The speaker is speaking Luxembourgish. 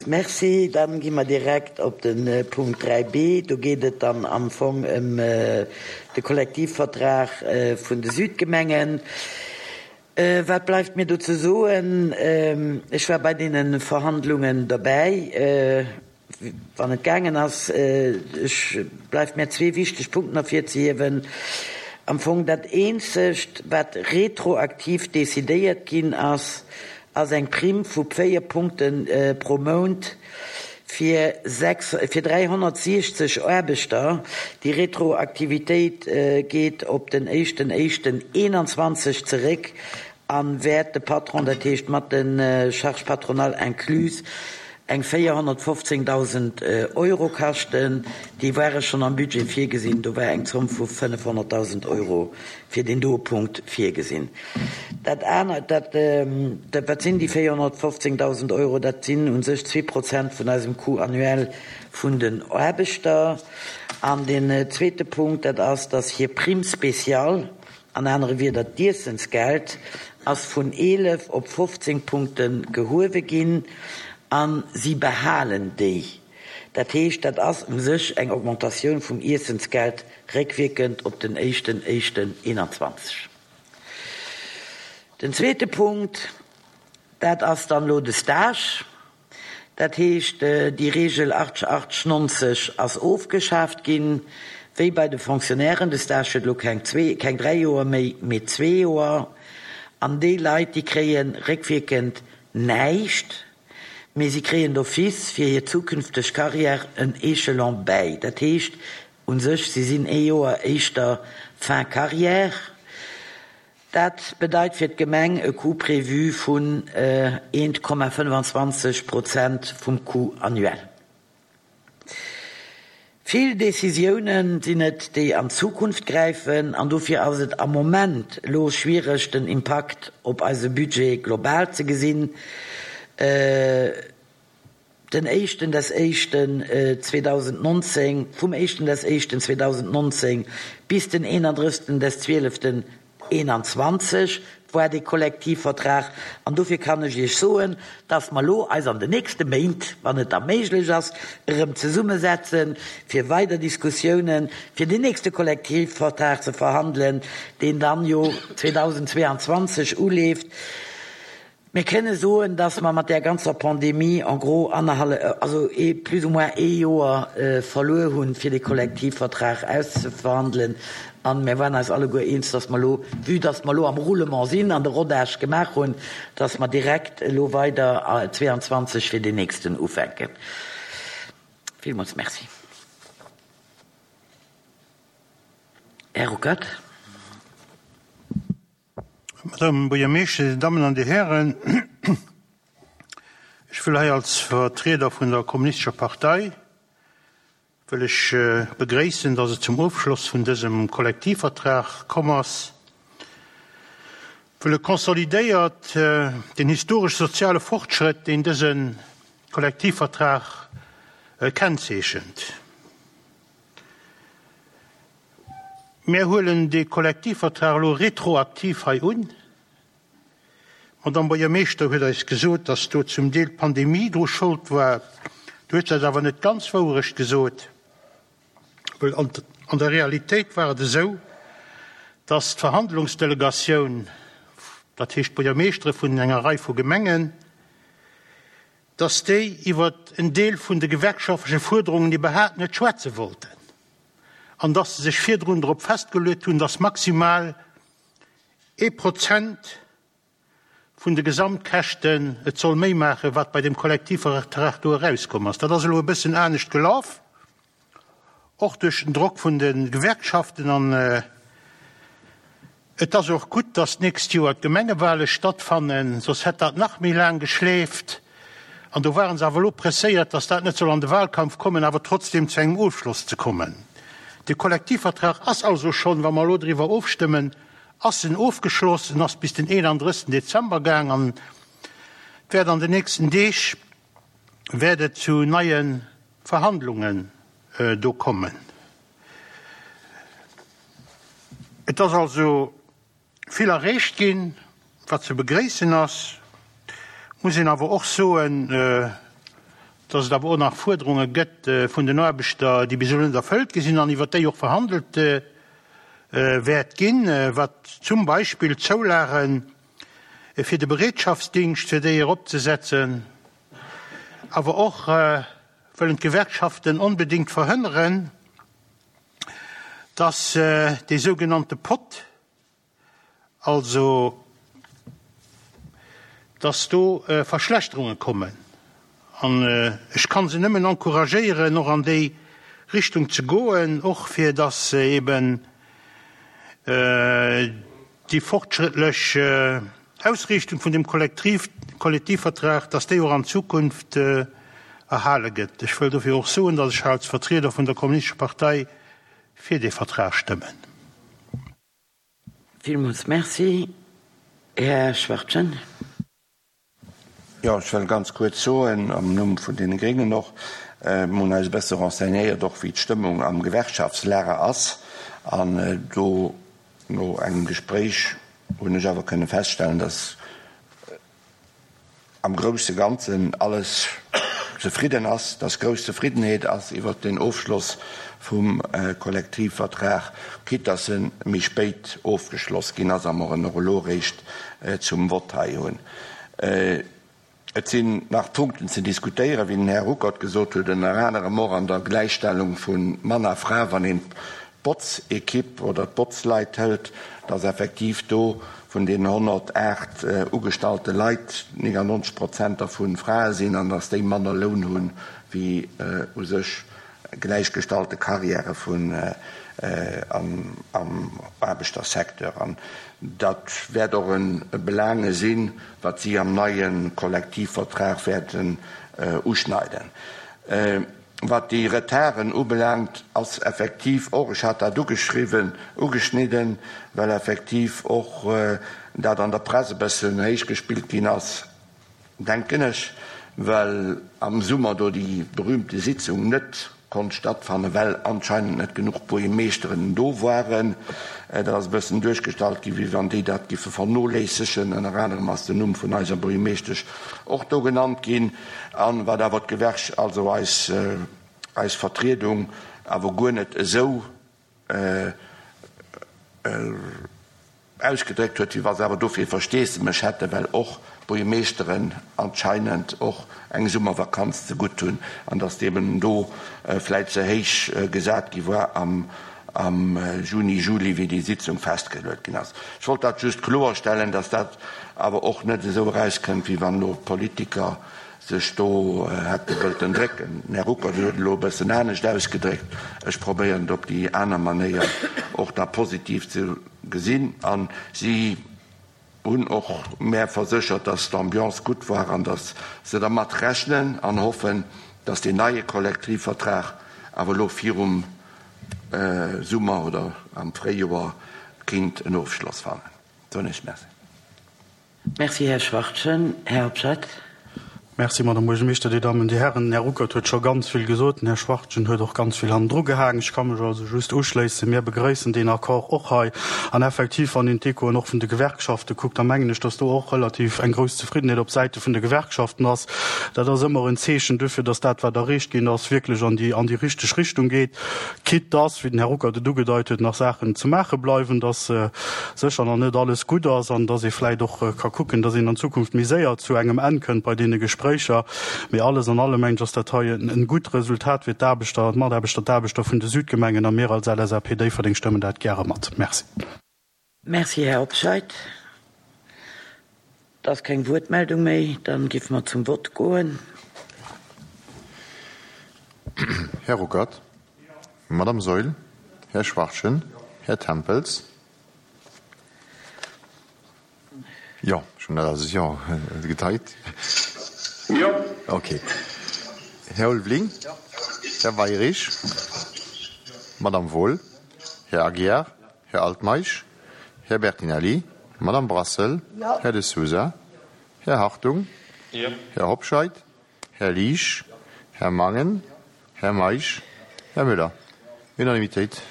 Merci. Dann gi mer direkt op de Punkt 3b. Do geet et dann am Fong ëm de Kollektivvertrag vun de Südgemengen. Wat bleift mir do ze soen? Ech war bei deene Verhandlungen derbäi. Wann et gaangen ass, ech bleift mär zwee wichteg Punkten ervirzehiewen. Am Fong dat eenzegt, wat retroaktiv decidéiert ginn ass, ass eng Primm vu 4 Punkte pro Mount fir fir 360 Aarbechter. Déi Retroaktivitéit geet op den éischten éischten 21 zeréck a wäert de Patron, dat heescht mat de Charges patronales incluses, eng 415.000 Euro kaschten. Déi ware schonn am Budget virgesinn. Do war eng Zomm vu 500.000 Euro fir deen doe Punkt virgesinn. Dat anert, dat, wat sinn déi 415.000 Euro? Dat sinn u sech 2% vun eisem Coût annuel vun den Aarbechter. An deen zweete Punkt, dat ass, dass hir Prime spéciale, An anere Wieder, d'Iessensgeld ass vun 11 op 15 Punkte gehuewe ginn a si behalen déi. Dat heescht, dat ass u sech eng Augmentatioun vum Iessensgeld réckwierkend op den éischten éischten 21. Den zweete Punkt, dat ass dann elo de Stage. Dat heescht, déi Reegel 80, 80, 90 ass ofgeschaaft ginn, wéi bei de Fonctionnairen. De Stage huet elo keng zwee, keng dräi Joer méi, mee zwee Joer. An déi Leit, déi kréie réckwierkend näischt, mee si kréien d'office fir hir zukünfteg Carrière en Echelon bäi. Dat heescht u sech, si sinn ee Joer éischter fin carrière. Dat bedeit fir d'Gemeng e Coût prévu vun 1,25 Prozent vum Coût annuel. Vill Décisiounen sinn et, déi an d'Zukunft gräifen, an dofir ass et am Moment elo schwiereg, den Impakt op eise Budget global ze gesinn. Den éischten des éischten 2019, vum éischten des éischten 2019 bis den 31 des zwieleften 21 war dee Kollektivvertrag. An dofir kann ech Iech soen, dass mer elo eis an den nächste Méint, wann et da méiglech ass, erëm zesummesetzen, fir weider Diskussiounen fir deen nächste Kollektivvertrag ze verhandelen, deen dann jo 2022 uleeft. Mir kënne soen, dass mer mat där ganzer Pandemie en gros annerhallef, also ee plus ou moins ee Joer verluer hunn, fir dee Kollektivvertrag auszeverhandelen. A mir waren eis alleguer eens, dass mer elo, vue dass mer elo am Roulement sinn an de Rodage gemaach hunn, dass mer direkt elo weider 22 fir deen nächsten ufänken. Villmools Merci. Här Ruckert. Madame Buergermeeschter, Dir Dammen an Dir Hären, ech wëll hei als Vertrieder vun der Kommunistescher Partei wëll ech begréissen, dass et zum Ofschloss vun dësem Kollektivvertrag komm ass, wëll e konsolidéiert den historesch-soziale Fortschrëtt, deen dëse Kollektivvertrag kennzeechent. Mir huelen dee Kollektivvertrag elo retroaktiv hei un. D'Madame Buergermeeschter huet eis gesot, dass do zum Deel d'Pandemie dru Schold war. Do huet se eis awer net ganz d'Wouerecht gesot, well an der Realitéit war et esou, dass d'Verhandlungsdelegatioun, dat heescht d'Buergermeeschtere vun enger Rei vu Gemengen, dass déi iwwer en Deel vun de gewerkschaftleche Fuerderungen iwwerhaapt net schwätze wollten an dass se sech virdrun drop festgeluet hunn, dass maximal ee Prozent vun de Gesamtkäschten et soll méi maachen, wat bei dem Kollektivvertrag do erauskomm ass. Dat ass elo e bëssen anescht gelaf, och duerch den Drock vun de Gewerkschaften an Et ass och gutt, dass d'nächst Joer d'Gemengewale stattfannen, soss hätt dat nach méi laang geschleeft. An do ware se awer elo presséiert, dass dat net soll an de Wahlkampf kommen, awer trotzdem zu engem Ofschloss ze kommen. De Kollektivvertrag ass also schonn, wa mer elo driwwer ofstëmmen, ass en ofgeschloss. En ass bis den 31. Dezember gaang an et wäert an den nächsten Deeg wäert et zu neie Verhandlungen do kommen. Et ass also vill erreecht ginn, wat ze begréissen ass. Muss een awer och soen, dass et awer och nach Fuerderunge gëtt vun den Aarbechter, déi bis elo net erfëllt gi sinn an iwwert déi och verhandelt wäert ginn, wat zum Beispill d'Zoulage fir de Bereetschaftsdingscht, fir déi eropzesetzen, awer och wëllen d'Gewerkschaften onbedéngt verhënneren, dass dee sougenannte Pot, Also, dass do Verschlechterunge kommen. An ech ka se nëmmen encouragéieren, och an déi Richtung ze goen, och fir dass eben déi fortschrëttlech Ausriichtung vun dem Kollektivvertrag, dass déi och an Zukunft erhale gëtt. Ech wëll dofir och soen, dass ech als Vertrieder vun der Kommunistescher Partei fir dee Vertrag stëmmen. Villmools Merci. Här Schwachtgen. Jo, ech wëll ganz kuerz soen, am Numm vun deene Gréngen och, Mir hunn eis e bësse renseignéiert och, wéi d'Stëmmung am Gewerkschaftslager ass. An do, no engem Gespréich, hunn ech awer kënne feststellen, dass am grousse Ganzen alles zefridden ass, dass grouss Zefriddenheet ass iwwert den Ofschloss vum Kollektivvertrag, quitte dass e méi spéit ofgeschloss ginn ass a mer en och elo eréischt zum Vott hei hunn. Et sinn nach Punkten ze diskutéieren, wéi den Här Ruckert gesot huet, ënner anerem och an der Gläichstellung vu Mann a Fra, wann een d'Botzequipe oder d'Botzleit hëlt, dass effektiv do vun deenen 108 ugestallte Leit 99 Prozent dervu Frae sinn an dass déi manner Loun hu wéi u sech gläichgestallte Karriäre vun am Aarbechtersecteur. An dat wäert och e Belange sinn, wat si am neie Kollektivvertrag wäerten uschneiden. Wat déi Retarden ubelaangt, ass effektiv och, ech hat dat ugeschriwwen, ugeschnidden, well effektiv och dat an der Press e bëssen héichgespillt ginn ass, denken ech, well am Summer do déi berühmte Sitzung net konnt stattfannen, well anscheinend net genuch Buergermeeschteren do waren. Dat ass e bëssen duerchgestallt ginn, wéi wann déi dat giffe vernoléissegen. Ënner anerem ass den Numm vun eiser Buergermeeschtesch och do genannt ginn. An wat awer d'Gewerk, also eis, eis Vertriedung awer guer net esou ausgedréckt huet, wéi wa se awer dofir Versteesdemech hätten, well och d'Buergermeeschteren anscheinend och eng Summervakanz zegutt hunn an datt eben do vläit ze héich gesat gi war am am Juni, Juli, wéi déi Sitzung festgeluet ginn ass. Ech wollt dat just kloerstellen, dass dat awer och net esou erauskënnt, wéi wann elo d'Politiker sech do hätte wëllten drécken. Den Här Ruckert huet et elo e bëssen anescht ausgedréckt. Ech probéieren et op déi aner Manéier och da positiv ze gesinn. A si hunn och mär verséchert, dass d'Ambiance gutt war an dass se dermat rechnen an hoffen, dass deen neie Kollektivvertrag awer elo virum Summer oder am Fréijoer kinnt en Ofschloss fannen. Soen ech Merci. Merci, Här Schwachtgen. Här Hobscheit. Merci, Madame Buergermeeschter, Dir Dammen, Dir Herren. Den Här Ruckert huet scho ganz vill gesot, den Här Schwachtgen huet och ganz vill hannendru gehaangen. Ech ka mech also just uschléissen. Mir begrëissen deen Accord och hei. An effektiv, wann een d'Echoen och vun de Gewerkschafte kuckt, da mengen ech, dass do och relativ eng grouss Zefriddenheet op Säite vun de Gewerkschaften ass. Dat ass ëmmer en Zeechen duerfir, dass dat, wat erreecht ginn ass, wierklech an déi, an déi richteg Richtung geet. Quitte dass, wéi den Här Ruckert et ugedeit huet, nach Saachen ze maache bleiwen, dass sécher nach net alles gutt ass an dass ee vläicht och ka kucken, dass een an Zukunft méi séier zu engem Enn kënnt bei deene Gespréicher. Mee alles an allem, mengen ech, ass dat hei en gutt Resultat fir d'Aarbechter, d'Mataarbechter, d'Aarbechter vun de Südgemengen a mir als LSAP Déifferdeng stëmmen dat gäre mat. Merci. Merci, Här Hobscheit. Et ass keng Wuertmeldung méi. Dann géife mer zum Vott goen. Här Ruckert, Madame Saeul, Här Schwachtgen, Här Tempels. Jo, ech hunn dat als Jo gedeit. Jo. Okay. Här Ulveling? Här Weirich? Madame Wohl? Här Aguiar? Här Altmeisch, Här Bertinelli, Madame Brassel, Här De Sousa, Här Hartung, Här Hobscheit, Här Liesch, Här Mangen, Här Meisch, Här Müller. Unanimitéit.